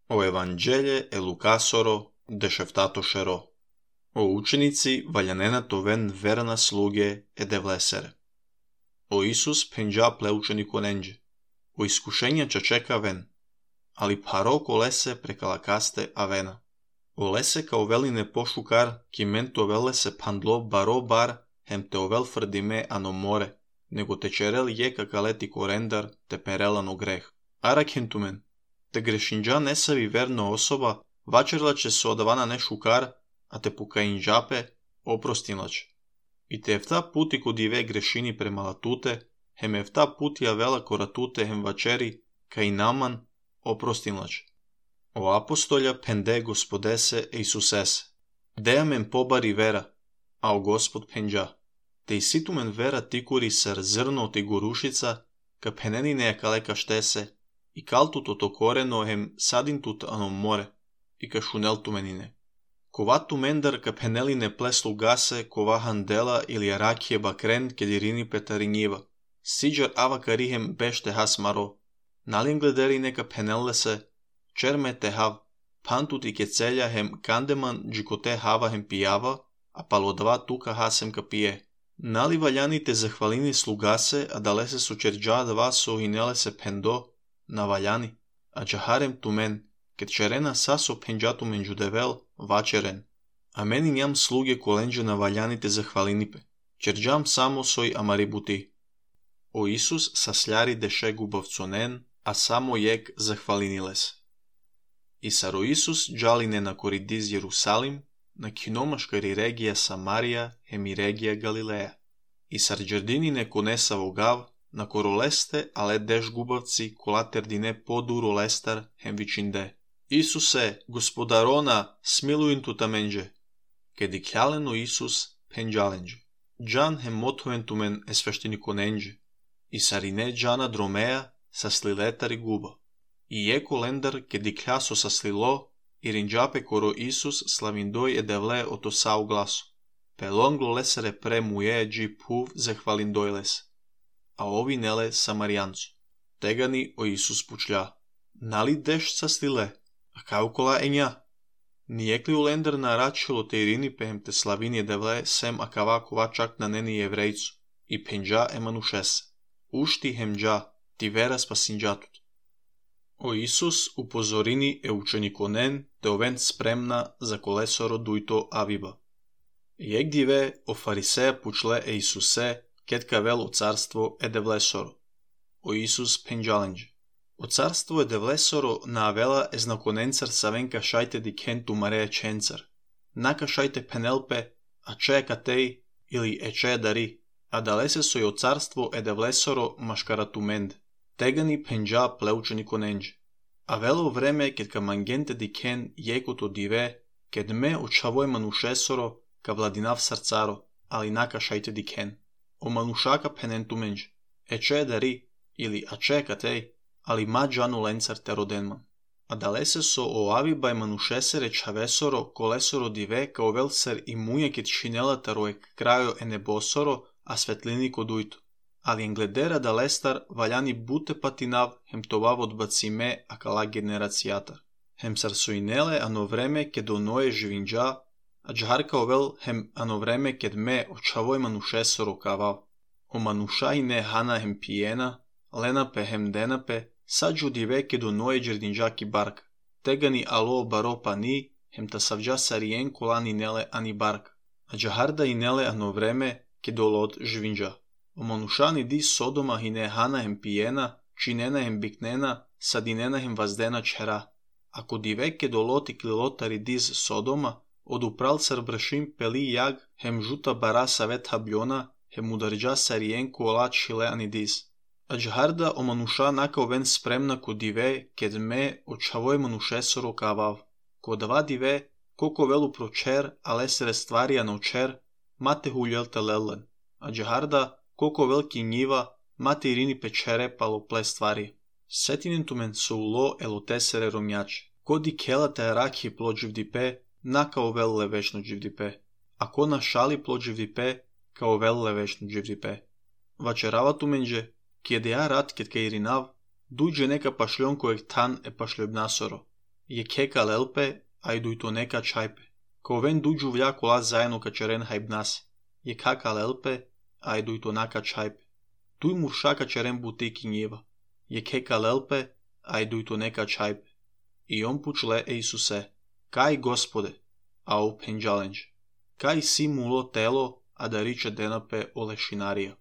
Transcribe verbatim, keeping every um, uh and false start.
O Евангелие е Лукасоро, дешефтатошеро. O učenici valjanena toven verana sluge e devlesere. O Isus penđa pleučeniku nenđe. O iskušenja čečeka ven. Ali paroko lese prekalakaste avena. O lese kao veline pošukar, ki mento velese pandlo baro bar, hem te ovel frdime anomore, nego te čerel je kakaleti korendar te perelano greh. Arak hentumen, te grešinđa nesavi verno osoba, vačerla će se odavana ne šukar, a te pukainđape oprostinlaće. I te evta puti kod ive grešini prema latute, hem evta putija vela koratute hem vačeri, ka i naman oprostinlaće. O apostolja pende gospodese e Isusese, deja men pobari vera, a o gospod penđa. Te isitumen vera tikuri sar zrno ti gurušica, ka penenine kaleka štese, i kaltut otokoreno hem sadintut anom more, i ka šuneltu menine. Kovatu mendar ka peneline pleslu gase, kova handela ili arakije bakren kedirini petarinjiva. Siđar ava karihem bešte has maro. Nalin glederi neka penelle se, čerme te hav, pantut i kecelja hem kandeman džikote hava hem pijava, a palodva tuka hasem ka pije. Nali valjani te zahvalini slugase, a dalese su čerđa dva so hinele se pendo, na valjani, a džaharem tumen, ket čerena saso penđatu menđudevel, vačeren. A meni njam sluge kolenđe na valjani te zahvalinipe, čerđam samo soj amaributi. O Isus sasljari deše gubavconen, a samo jek zahvaliniles. I saro Isus džaline na koridiz Jerusalim, na kinomaškari regija Samarija, hemi regija Galileja. I sar džerdinine konesa vogav, na koroleste, ale deš gubavci, kolater dine poduro lestar, hem vičinde. Isuse, gospodarona, smiluin tutamenđe. Kedi kjaleno Isus penđalenđe. Džan hem motoventumen esveštinikonenđe. I sarine džana dromeja, sa sliletari guba. I jeko lendar kedi kljaso sa slilo, i rinđape koro Isus slavindoj edevle oto sau glaso. Pelonglo lesere pre muje dži puv zahvalindoj les. A ovi nele samarijancu. Tegani o Isus pučlja. Nali deš sa slile, a kao kola enja? Nijekli u lendar na račilo te irini pehem te slavini edevle sem a kavakova čak na neni jevrejcu. I penđa emanušese. Ušti hemđa, ti vera spasinđatut. O Isus upozorini e učenikonen te oven spremna za kolesoro dujto aviba. Jeg dive o fariseja pučle e Isuse ketka vel o carstvo e devlesoro. O Isus penđalenđe. O carstvo e devlesoro na avela e znakonencar savenka šajte di kentu mareja čencar. Naka šajte penelpe, a če katej ili e če dari, a dalese soj o carstvo e devlesoro maškaratumend. Tegani penđa pleučenikonenđe. A velo vreme ket ka mangente di ken jekoto dive, ket me očavoj manušesoro ka vladinav sarcaro, ali naka šajte di ken. O manušaka penentumenđe. E če dari, ili a če katej, ali ma džanu lencar te rodenman. A dalese so o avibaj manušesere čavesoro kolesoro dive kao vel ser i muje ket šinela taroek krajo enebosoro, a svetlini kodujto. Ali engledera da lestar valjani bute patinav hem tovav odbacime a kala generacijatar. Hem sarsuinele ano vreme ked onoje živinđa, a džharka ovel hem ano vreme ked me očavoj manušesoro kavav. O manušajne hana hem pijena, lenape hem denape, sađu dive ked onoje džerdinđaki barka. Tegani alo baro pani, hem ta savđa sarijen kolani nele ani barka. A džaharda inele ano vreme ked olot živinđa. O manušani di Sodoma hine hana hem pijena, činena hem biknena, sadinena hem vazdena čera. Ako diveke doloti klilotari diz Sodoma, od upral sar bršim peli jag, hem žuta bara savet habljona, hem udarđa sarijenku olat šileani diz. A džharda o manuša naka oven spremna ko dive, ked me očavoj manušesoro kavav. Ko dva dive, koko velu pročer, ale sere stvarija na očer, mate huljelta lellen. A džharda koliko veliki njiva, mate irini pečere palo ple stvari. Setinen tumen so ulo elotesere romjače. Kodi kela te araki plođivdipe, na kao velle večno dživdipe. A ko na šali plođivdipe, kao velle večno dživdipe. Vačerava tumenđe, kjede ja rat ket ka irinav, duđe neka pašljon kojeg tan e pašljobnasoro. je keka lelpe, ajduj to neka čajpe. Ko ven duđu vlja kola zajedno kačeren hajbnas, je kaka lelpe, ajduj to naka čajpe. Tuj murša kačeren butiki njeva, je keka lelpe, ajduj to neka čajpe. I on pučle Isuse, kaj Gospode, a u penđalenđ, kaj si mulo telo, a da riče denape olešinarija.